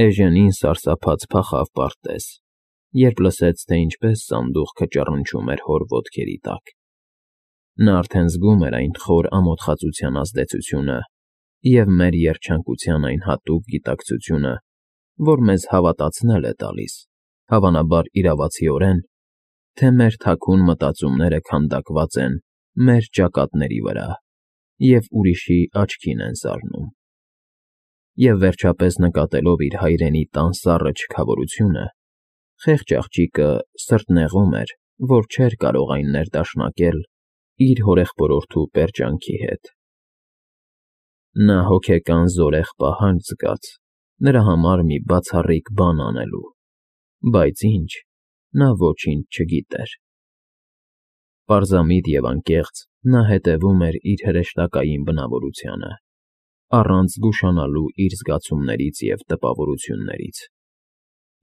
Էժենին սարսափած փախավ պարտեզ, երբ լսեց, թե ինչպես սանդուղքը ճռնչում էր հոր ոտքերի տակ. նա արդեն զգում էր այն խոր ամոթխածության ազդեցությունը և մեր երջանկության այն հատուկ գիտակցությունը, որ մեզ հավատացնել է տալիս, հավանաբար իրավացիորեն, թե մեր թաքուն մտածումները քանդակված են մեր ճակատների վրա և ուրիշի աչքին են զարնում։ Եվ վերջապես նկատելով իր հայրենի տան սառը չքավորությունը, խեղճ աղջիկը սրտնեղում էր, որ չէր կարող այն ներդաշնակել իր հորեղբորորդու պերճանքի հետ։ Նա հոգեկան զորեղ պահանջ զգաց նրա համար մի բացառիկ բան անելու, բայց ինչ, նա ոչինչ չգիտեր։ Պարզամիտ և անկեղծ նա հետևում էր իր հրեշտակային բնավորությանը, առանց զգուշանալու իր զգացումներից և տպավորություններից։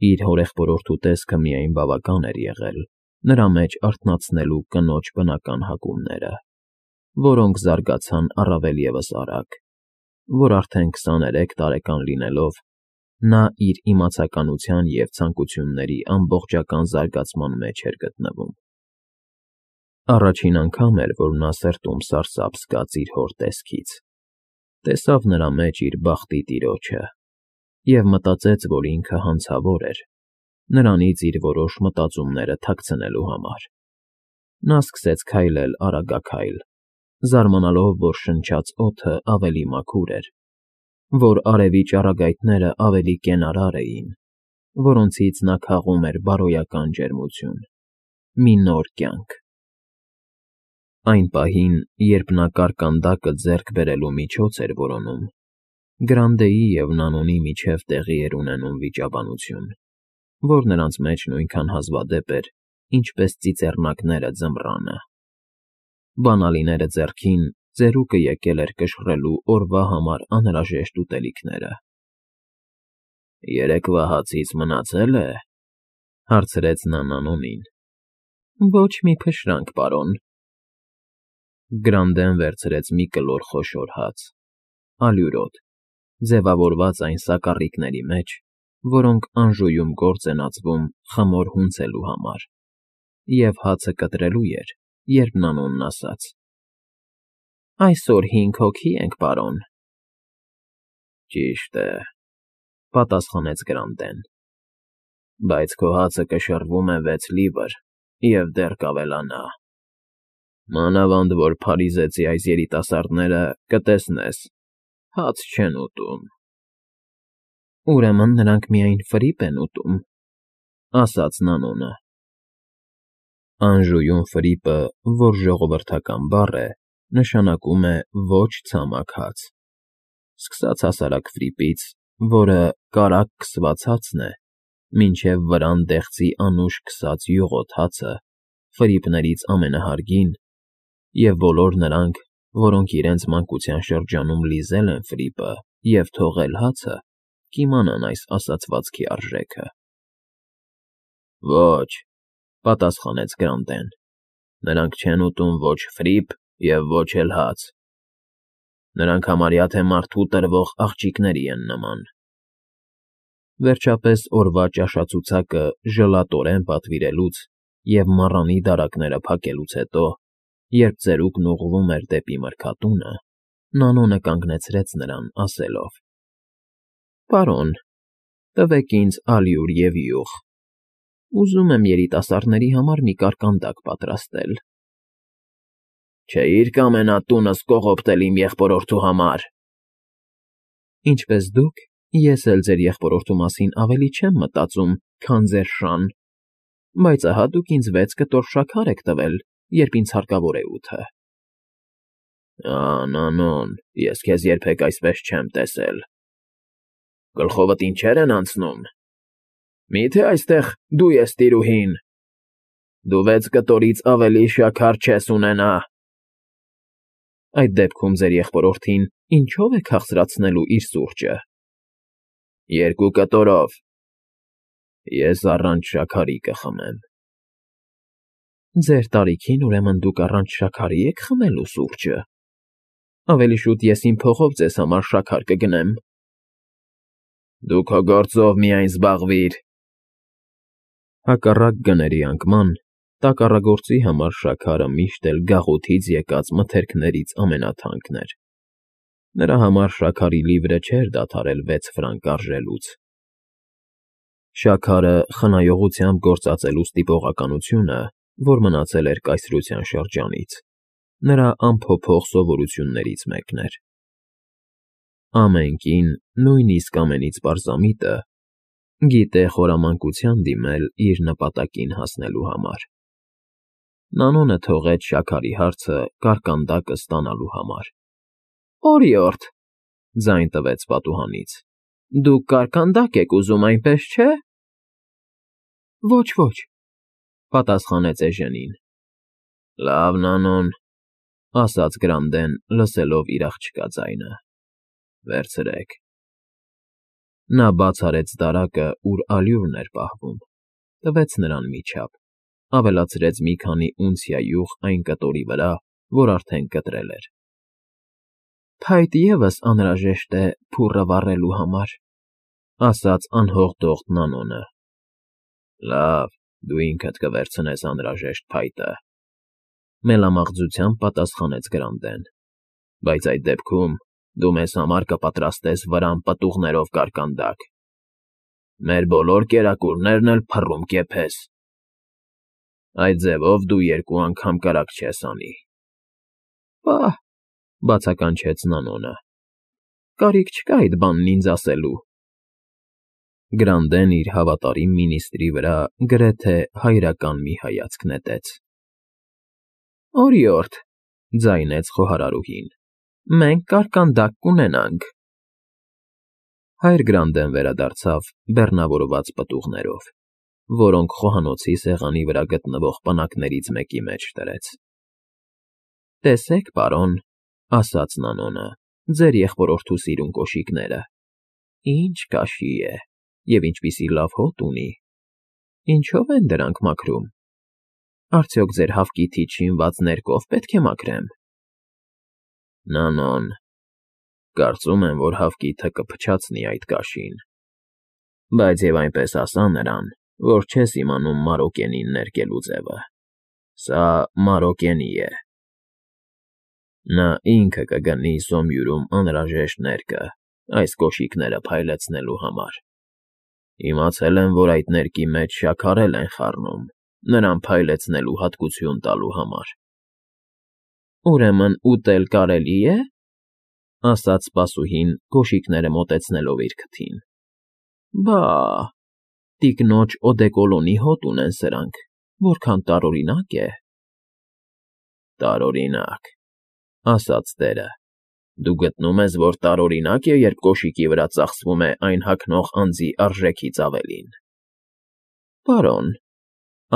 Իր հորեղբորորդու տեսքը միայն բավական էր եղել նրա մեջ արթնացնելու կնոջ բնական հակումները, որոնք զարգացան առավել ևս արագ, որ արդեն 23 տարեկան լինելով, նա իր իմացականության և ցանկությունների ամբողջական զարգացման մեջ էր գտնվում։ Առաջին անգամ էր, որ նա սրտում սարսափ զգաց իր հոր տեսքից, տեսավ նրա մեջ իր բախտի տիրոջը և մտածեց, որ ինքը հանցավոր էր, նրանից իր որոշ մտածումները թաքցնելու համար։ Նա սկսեց քայլել արագաքայլ, զարմանալով, որ շնչած օդը ավելի մաքուր էր, որ արևի ճառագայթները ավելի կենարար էին, որոնցից նա քաղում էր բարոյական ջերմություն, մի նոր կյանք։ Այն պահին, երբ նա կարկանդակը ձեռք բերելու միջոց էր որոնում, Գրանդեի և Նանոնի միջև տեղի էր ունենում վիճաբանություն, որ նրանց մեջ նույնքան հազվադեպ էր, ինչպես ծիծեռնակները ձմռանը։ Բանալիները ձեռքին, ծերուկը եկել էր կշռելու օրվա համար անհրաժեշտ ուտելիքները։ ֊ Երեկվա հացից մնացե՞լ է,֊ հարցրեց նա Նանոնին։ ֊ Ոչ մի փշրանք, պարոն։ Գրանդեն վերցրեց մի կլոր խոշոր հաց, ալյուրոտ, ձևավորված այն սակառիկների մեջ, որոնք Անժուում գործ են ածվում խմոր հունցելու համար, և հացը կտրելու էր, երբ Նանոնն ասաց. «Այսօր 5 հոգի ենք, պարոն»։ ֊ Ճիշտ է,֊ պատասխանեց Գրանդեն,֊ բայց քո հացը կշռվում է 6 լիվր և դեռ կավելանա։ Մանավանդ որ փարիզեցի այս երիտասարդները, կտեսնես, հաց չեն ուտում։ ֊ Ուրեմն նրանք միայն ֆրիպ են ուտում,֊ ասաց Նանոնը։ Անժուում ֆրիպը, որ ժողովրդական բառ է, նշանակում է ոչ ցամաք հաց, սկսած հասարակ ֆրիպից, որը կարագ քսված հացն է, մինչև վրան դեղցի անուշ քսած յուղոտ հացը, ֆրիպներից ամենահարգին, և բոլոր նրանք, որոնք իրենց մանկության շրջանում լիզել են ֆրիպը և թողել հացը, կիմանան այս ասացվածքի արժեքը։ ֊ Ոչ,֊ պատասխանեց Գրանդեն,֊ նրանք չեն ուտում ոչ ֆրիպ և ոչ էլ հաց։ Նրանք համարյա թե մարդու տրվող աղջիկների են նման։ Վերջապես օրվա ճաշացուցակը ժլատորեն պատվիրելուց և մառանի դարակները փակելուց հետո, երբ ծերուկն ուղղվում էր դեպի մրգատունը, Նանոնը կանգնեցրեց նրան, ասելով. «Պարոն, տվեք ինձ ալյուր և յուղ։ Ուզում եմ երիտասարդների համար մի կարկանդակ պատրաստել»։ ֊ Չէիր կամենա տունս կողոպտել իմ եղբորորդու համար։ ֊ Ինչպես դուք, ես էլ ձեր եղբորորդու մասին ավելի չեմ մտածում, քան ձեր շան, բայց ահա դուք ինձ 6 կտոր շաքար եք տվել, երբ ինձ հարկավոր է 8-ը։ ֊ Նանոն, ես քեզ երբեք այսպես չեմ տեսել։ Գլխովդ ինչեր են անցնում։ Մի՞թե այստեղ դու ես տիրուհին։ Դու 6 կտորից ավելի շաքար չես ունենա։ Այդ դեպքում ձեր եղբորորդին ինչո՞վ է քաղցրացնելու իր սուրճը։ 2 կտորով։ Ես առանց շաքարի կխմեմ։ Ձեր տարիքին, ուրեմն դուք առանց շաքարի եք խմելու սուրճը։ Ավելի շուտ ես իմ փողով ձեզ համար շաքար կգնեմ։ Դու քո գործով միայն զբաղվիր։ Հակառակ գների անկման, տակառագործի համար շաքարը միշտ էլ գաղութից եկած մթերքներից ամենաթանկն էր։ Նրա համար շաքարի լիվրը չէր դադարել 6 ֆրանկ արժելուց։ Շաքարը խնայողությամբ գործածելու ստիպողականությունը, որ մնացել էր կայսրության շրջանից, նրա անփոփոխ սովորություններից մեկն էր։ Ամեն կին, նույնիսկ ամենից պարզամիտը, գիտե խորամանկության դիմել իր նպատակին հասնելու համար։ Նանոնը թողեց շաքարի հարցը կարկանդակը ստանալու համար։ «Օրիորդ,֊ ձայն տվեց պատուհանից,֊ դուք կարկանդակ եք ուզում, այնպես չէ՞»։ «Ոչ, ոչ,֊ պատասխանեց Էժենին։ «Լավ, Նանոն,֊ ասաց Գրանդեն, լսելով իր աղջկա ձայնը,֊ վերցրեք»։ Նա բաց արեց դարակը, ուր ալյուրն էր պահվում, տվեց նրան մի չափ, ավելացրեց մի քանի ունցիա յուղ այն կտորի վրա, որ արդեն կտրել էր։ «Փայտ ևս անհրաժեշտ է փուռը վառելու համար,֊ ասաց անհողդողդ Նանոնը։ «Լավ, դու ինքդ կվերցնես անհրաժեշտ փայտը,֊ մելամաղձությամբ պատասխանեց Գրանդեն,֊ բայց այդ դեպքում դու մեզ համար կպատրաստես վրան պտուղներով կարկանդակ։ Մեր բոլոր կերակուրներն էլ փռում կեփես։ Այդ ձևով դու 2 անգամ կրակ չես անի»։ «Պահ,֊ բացականչեց Նանոնը,֊ կարիք չկա այդ բանն ինձ ասելու»։ Գրանդեն իր հավատարիմ մինիստրի վրա գրեթե հայրական մի հայացք նետեց։ «Օրիորդ,֊ ձայնեց խոհարարուհին,֊ մենք կարկանդակ կունենանք»։ Հայր Գրանդեն վերադարձավ բեռնավորված պտուղներով, որոնք խոհանոցի սեղանի վրա գտնվող պնակներից մեկի մեջ դրեց։ «Տեսեք, պարոն,֊ ասաց Նանոնը,֊ ձեր եղբորորդու սիրուն կոշիկները. ինչ կաշի է և ինչպիսի լավ հոտ ունի։ Ինչո՞վ են դրանք մաքրում։ Արդյոք ձեր հավկիթից շինված ներկով պետք է մաքրեմ»։ «Նանոն, կարծում եմ, որ հավկիթը կփչացնի այդ կաշին, բայց և այնպես ասա նրան, որ չես իմանում Մարոկենին ներկելու ձևը։ Սա Մարոկենի է։ Նա ինքը կգնի Սոմյուրում անհրաժեշտ ներկը այս կոշիկները փայլեցնելու համար։ Իմացել եմ, որ այդ ներկի մեջ շաքար էլ են խառնում, նրան փայլեցնելու հատկություն տալու համար»։ «Ուրեմն ուտել կարելի է,֊ ասաց սպասուհին, կոշիկները մոտեցնելով իր քթին։ Բա՛, տիկնոջ օդեկոլոնի հոտ ունեն սրանք, որքան տարօրինակ է»։ «Տարօրինակ,֊ ասաց տերը,֊ դու գտնում ես, որ տարօրինակ է, երբ կոշիկի վրա ծախսվում է այն հագնող անձի արժեքից ավելին»։ «Պարոն,֊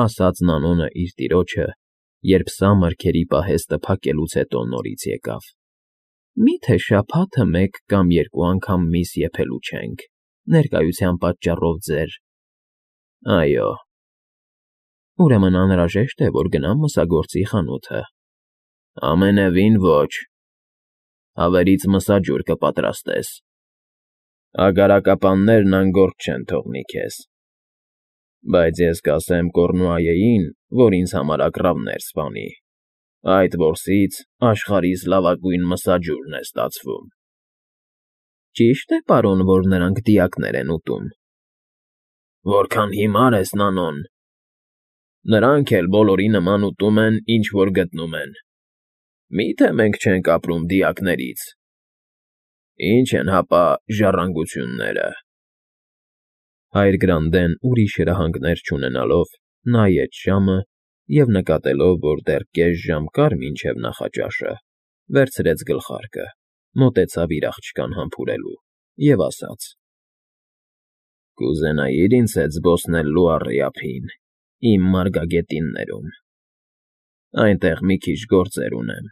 ասաց Նանոնը իր տիրոջը, երբ սա մրգերի պահեստը փակելուց հետո նորից եկավ,֊ մի՞թե շաբաթը մեկ կամ 2 անգամ միս եփելու չենք, ներկայության պատճառով ձեր… Այո։ Ուրեմն անհրաժեշտ է, որ գնամ մսագործի խանութը։ Ամենևին ոչ։ Հավերից մսաջուր կպատրաստես։ Ագարակապաններն անգործ չեն թողնի քեզ։ Բայց ես կասեմ Կոռնուայեին, որ ինձ համար ագռավներ սպանի։ Այդ որսից աշխարհիս լավագույն մսաջուրն է ստացվում»։ «Ճի՞շտ է, պարոն, որ նրանք դիակներ են ուտում»։ «Որքան հիմար ես, Նանոն։ Նրանք էլ բոլորի նման ուտում են, ինչ որ գտնում են։ Մի՞թե մենք չենք ապրում դիակներից։ Ինչ են հապա ժառանգությունները»։ Հայր Գրանդեն ուրիշ հրահանգներ չունենալով նայեց ժամը և նկատելով, որ դեռ կես ժամ կար մինչև նախաճաշը, վերցրեց գլխարկը, մոտեցավ իր աղջկան համբուրելու և ասաց. «Կուզենայի՞ր ինձ հետ զբոսնել Լուարի ափին, իմ մարգագետիններում։ Այնտեղ մի քիչ գործեր ունեմ»։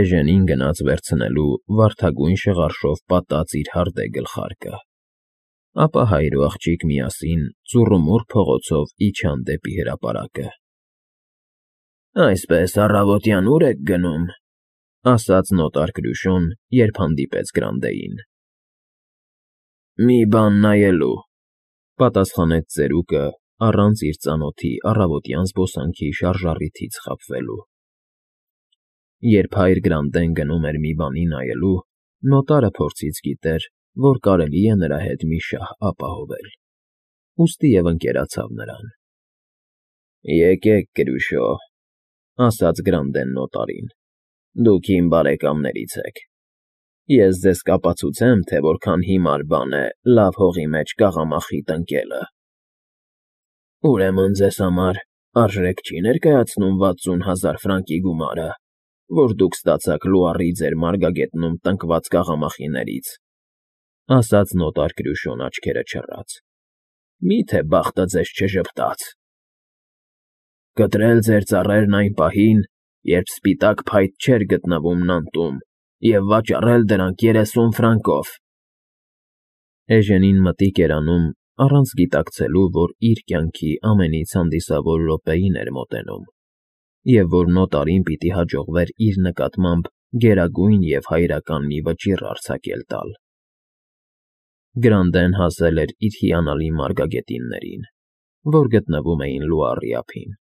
Էժենին գնաց վերցնելու վարդագույն շղարշով պատած իր հարդե գլխարկը, ապա հայր ու աղջիկ միասին ծուռումուռ փողոցով իջան դեպի հրապարակը։ «Այսպես առավոտյան ո՞ւր եք գնում», ասաց նոտար Կրյուշոն, երբ հանդիպեց Գրանդեին։ Մի բան նայելու,֊ պատասխանեց ծերուկը առանց իր ծանոթի առավոտյան զբոսանքի շարժառիթից խաբվելու։ Երբ հայր Գրանտեն գնում էր մի բանի նայելու, նոտարը փորձից գիտեր, որ կարելի է նրա հետ մի շահ ապահովել, ուստի և ընկերացավ նրան։ «Եկեք, Կրուշո,֊ ասաց Գրանտեն նոտարին,֊ դուք իմ բարեկամներից եք։ Ես ձեզ կապացուցեմ, թե որքան հիմար բան է լավ հողի մեջ կաղամախի տնկելը։ Ուրեմն ձեզ համար արժեք չի ներկայացնում 60,000 ֆրանկի գումարը, որ դուք ստացաք Լուարի ձեր մարգագետնում տնկված կաղամախիներից,֊ ասաց նոտար Կրյուշոն աչքերը չռած։֊ Մի՞թե բախտը ձեզ չժպտաց։ Կտրել ձեր ծառերն այն պահին, երբ սպիտակ փայտ չէր գտնվում նանտում, և վաճառել դրանք 30 ֆրանկով։ Էժենին մտիկ էր անում, առանց գիտակցելու, որ իր կյանքի ամենից հանդիսավոր րոպեին էր մոտենում, և որ նոտարին պիտի հաջողվեր իր նկատմամբ գերագույն և հայրական մի վճիռ արձակել տալ։ Գրանտեն հասել էր իր հիանալի մարգագետիններին, որ գտնվում էին Լուարի ափին,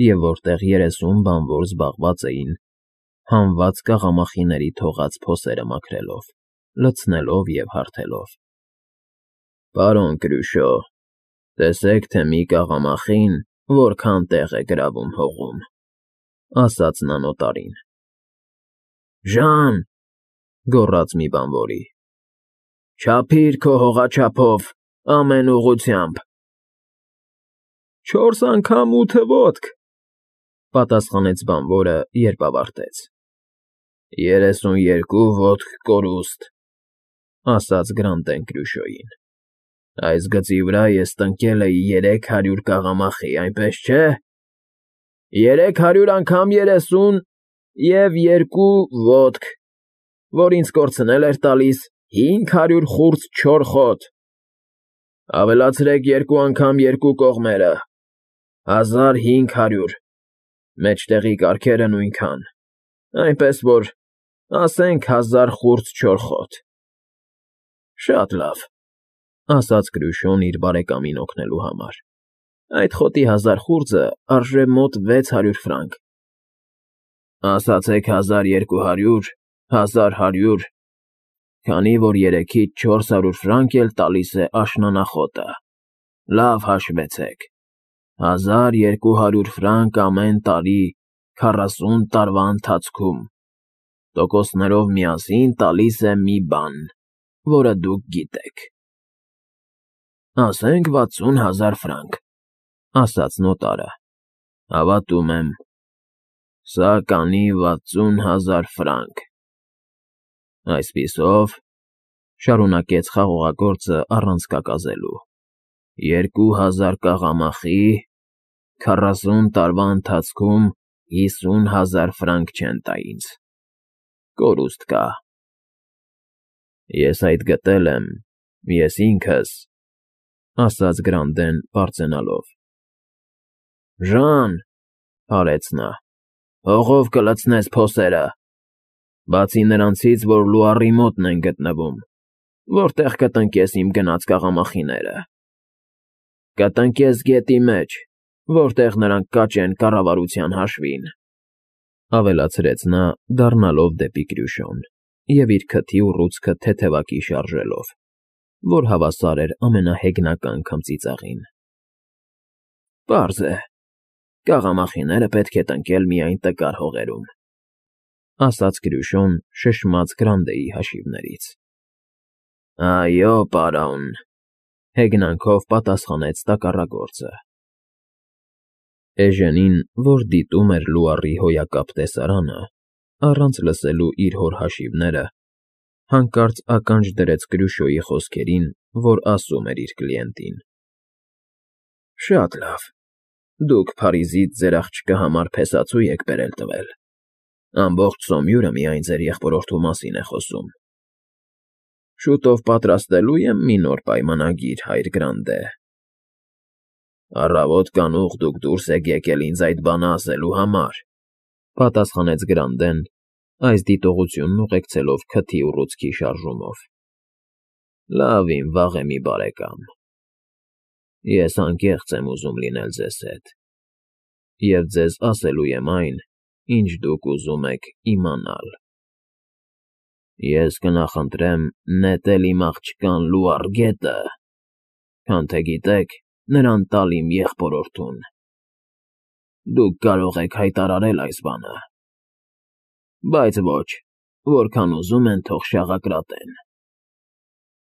և որտեղ 30 բանվոր զբաղված էին հանված կաղամախիների թողած փոսերը մաքրելով, լցնելով և հարթելով։ «Պարոն Կրյուշո, տեսեք, թե մի կաղամախին որքան տեղ է գրավում հողում,֊ ասաց նա նոտարին։ Ժան,֊ գոռաց մի բանվորի,֊ չափիր քո հողաչափով ամեն ուղղությամբ։ 4 անգամ 8 ոտք,֊ պատասխանեց բանվորը, երբ ավարտեց։ 32 ոտք կորուստ,֊ ասաց Գրանտեն Կրյուշոյին։ Այս գծի վրա ես տնկել էի 300 կաղամախի, այնպես չէ։ 300 անգամ 30 և 2 ոտք, որ ինձ կորցնել էր տալիս 500 խուրձ չոր խոտ։ Ավելացրեք 2 անգամ 2 կողմերը, 1500, մեջտեղի կարգերը նույնքան, այնպես որ ասենք 1000 խուրձ չոր խոտ։ Շատ լավ,֊ ասաց Կրյուշոն իր բարեկամին օգնելու համար։ Այդ խոտի 1000 խուրձը արժե մոտ 600 ֆրանկ։ Ասացեք 1200, 1100, քանի որ 3-ից 400 ֆրանկ էլ տալիս է աշնանախոտը, լավ հաշվեցեք, 1200 ֆրանկ ամեն տարի 40 տարվա ընթացքում, տոկոսներով միասին տալիս է մի բան, որը դուք գիտեք։ Ասենք 60,000 ֆրանկ,֊ ասաց նոտարը։ Հավատում եմ, սա կանի 60,000 ֆրանկ։ Այսպիսով,֊ շարունակեց խաղողագործը առանց կակազելու,֊ 2000 կաղամախի, 40 տարվա ընթացքում 50,000 ֆրանկ չեն տա ինձ, կորուստ կա։ Ես այդ գտել եմ, ես ինքս,֊ ասաց Գրանտեն բարձրանալով։ Ժան,֊ արեց նա,֊ հողով կլցնես փոսերը, բացի նրանցից, որ Լուարի մոտն են գտնվում, որտեղ կտնկես իմ գնած կաղամախիները։ Կտնկես գետի մեջ, որտեղ նրանք կաճեն կառավարության հաշվին,֊ ավելացրեց նա, դառնալով դեպի Կրյուշոն և իր քթի ուռուցքը թեթևակի շարժելով, որ հավասար էր ամենահեգնական քմծիծաղին։ Պարզ է, կաղամախիները պետք է տնկել միայն տկար հողերում,֊ ասաց Կրյուշոն շշմած Գրանտեի հաշիվներից։ Այո, պարոն,֊ հեգնանքով պատասխանեց տակառագործը։ Էժենին, որ դիտում էր Լուարի հոյակապ տեսարանը, առանց լսելու իր հոր հաշիվները, հանկարծ ականջ դրեց Կրյուշոյի խոսքերին, որ ասում էր իր կլիենտին. Շատ լավ, դուք Փարիզից ձեր աղջկա համար փեսացու եք բերել տվել, ամբողջ Սոմյուրը միայն ձեր եղբորորդու մասին է խոսում։ Շուտով պատրաստելու եմ մի նոր պայմանագիր, հայր Գրանտե։ Առավոտ կանուխ դուք դուրս եք եկել ինձ այդ բանը ասելու համար,֊ պատասխանեց Գրանտեն, այս դիտողությունն ուղեկցելով քթի ուռուցքի շարժումով։ Լավ իմ վաղեմի բարեկամ, ես անկեղծ եմ ուզում լինել ձեզ հետ և ձեզ ասելու եմ այն, ինչ դուք ուզում եք իմանալ. ես կնախընտրեմ նետել իմ աղջկան Լուարգետը, քան թե գիտեք նրան տալ իմ եղբորորդուն։ Դուք կարող եք հայտարարել այս բանը, բայց ոչ, որքան ուզում են, թող շաղակրատեն։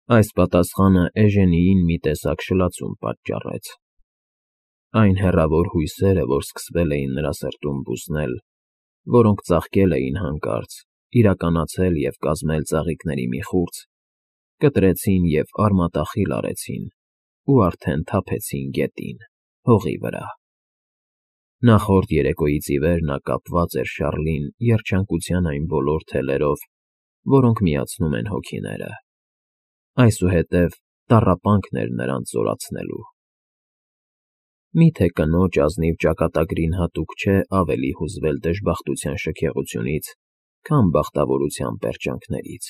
Այս պատասխանը Էժենիին մի տեսակ շլացում պատճառեց։ Այն հեռավոր հույսերը, որ սկսվել էին նրա սրտում բուսնել, որոնք ծաղկել էին հանկարծ, իրականացել և կազմել ծաղիկների մի խուրձ, կտրեցին և արմատախիլ արեցին ու արդեն թափեցին գետին, հողի վրա։ Նախորդ երեկոյից ի վեր նա կապված էր Շառլին երջանկության այն բոլոր թելերով, որոնք միացնում են հոգիները։ Այսուհետև տառապանքն էր նրանց զորացնելու։ Մի՞թե կնոջ ազնիվ ճակատագրին հատուկ չէ ավելի հուզվել դժբախտության շքեղությունից, քան բախտավորության պերճանքներից։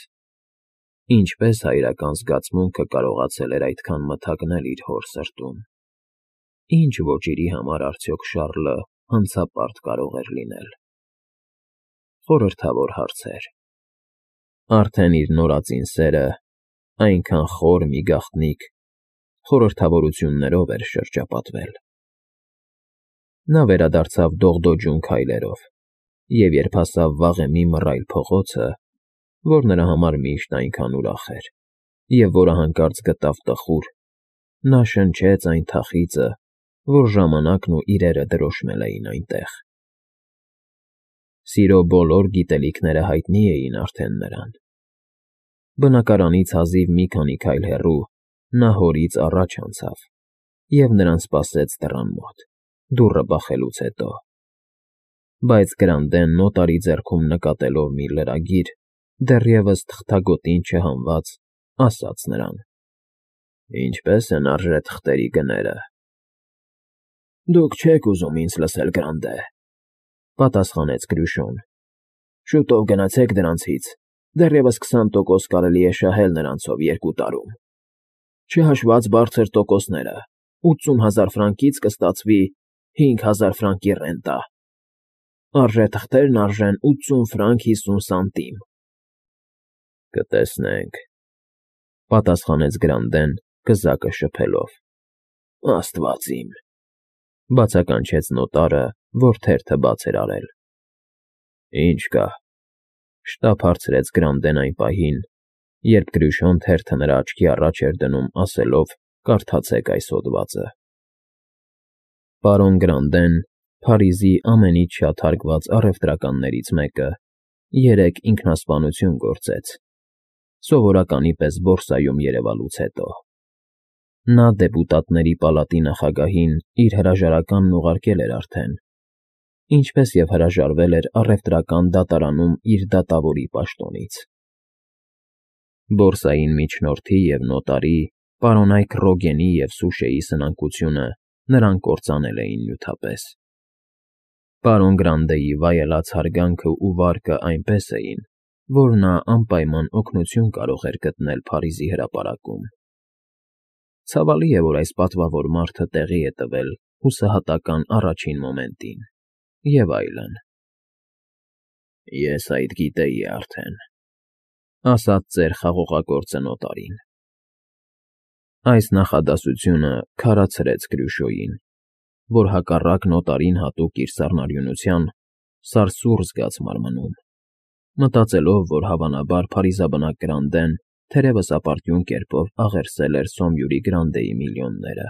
Ինչպես հայրական զգացմունքը կարողացել էր այդքան մթագնել իր հոր սրտում։ Ինչ ոճիրի համար արդյոք Շառլը հանցապարտ կարող էր լինել։ Խորհրդավոր հարցեր։ Արդեն իր նորածին սերը, այնքան խոր մի գաղտնիք, խորհրդավորություններով էր շրջապատվել։ Նա վերադարձավ դողդոջուն քայլերով, և երբ հասավ վաղեմի մռայլ փողոցը, որ նրա համար միշտ այնքան ուրախ էր, և որը հանկարծ գտավ տխուր, նա շնչեց այն թախիծը, որ ժամանակն ու իրերը դրոշմել էին այնտեղ։ Սիրո բոլոր գիտելիքները հայտնի էին արդեն նրան։ Բնակարանից հազիվ մի քանի քայլ հեռու նա հորից առաջ անցավ և նրան սպասեց դռան մոտ, դուռը բախելուց հետո։ Բայց Գրանդեն նոտարի ձեռքում նկատելով մի լրագիր, դեռևս թղթագոտին չհանված, ասաց նրան. «Ինչպե՞ս են արժե թղթերի գները»։ «Դուք չեք ուզում ինձ լսել, Գրանդե,֊ պատասխանեց Կրյուշոն։ «Շուտով գնացեք դրանցից, դեռևս 20% կարելի է շահել նրանցով 2 տարում։ Չհաշված բարձր տոկոսները, 80,000 ֆրանկից կստացվի 5,000 ֆրանկի ռենտա։ Արժե թղթերն արժեն 80 ֆրանկ 50 սանտիմ»։ «Կտեսնենք,֊ պատասխանեց Գրանդեն, կզակը շփելով։ «Աստված իմ…֊ բացականչեց նոտարը, որ թերթը բաց էր արել։ «Ինչ կա,֊ շտապ հարցրեց Գրանդեն այն պահին, երբ Կրյուշոն թերթը նրա աչքի առաջ էր դնում, ասելով. «Կարդացեք այս հոդվածը»։ Պարոն Գրանդեն, Փարիզի ամենից շատ հարգված առևտրականներից մեկը, երեկ ինքնասպանություն գործեց, սովորականի պես բորսայում երևալուց հետո։ Նա դեպուտատների պալատի նախագահին իր հրաժարականն ուղարկել էր արդեն, ինչպես և հրաժարվել էր առևտրական դատարանում իր դատավորի պաշտոնից։ Բորսային միջնորդի և նոտարի, պարոնայք Ռոգենի և Սուշեի սնանկությունը նրան կործանել էին նյութապես։ Պարոն Գրանդեի վայելած հարգանքն ու վարկը այնպես էին, որ նա անպայման օգնություն կարող էր գտնել Փարիզի հրապարակում։ Ցավալի է, որ այս պատվավոր մարդը տեղի է տվել հուսահատական առաջին մոմենտին, և այլն։ «Ես այդ գիտեի արդեն,֊ ասաց ծեր խաղողագործը նոտարին։ Այս նախադասությունը քարացրեց Կրյուշոյին, որ հակառակ նոտարին հատուկ իր սառնարյունության, սարսուռ զգաց մարմնում, մտածելով, որ հավանաբար փարիզաբնակ Գրանդեն թերևս ապարդյուն կերպով աղերսել էր Սոմյուրի Գրանդեի միլիոնները։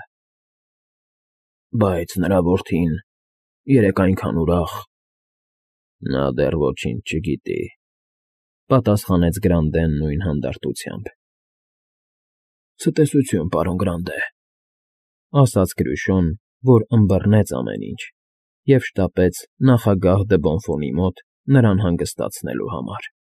«Բայց նրա որդին երեկ այնքան ուրախ…»։ «Նա դեռ ոչինչ չգիտի,֊ պատասխանեց Գրանդեն նույն հանդարտությամբ։ «Ցտեսություն, պարոն Գրանդե,֊ ասաց Կրյուշոն, որ ըմբռնեց ամեն ինչ և շտապեց նախագահ դը Բոնֆոնի մոտ նրան հանգստացնելու համար»։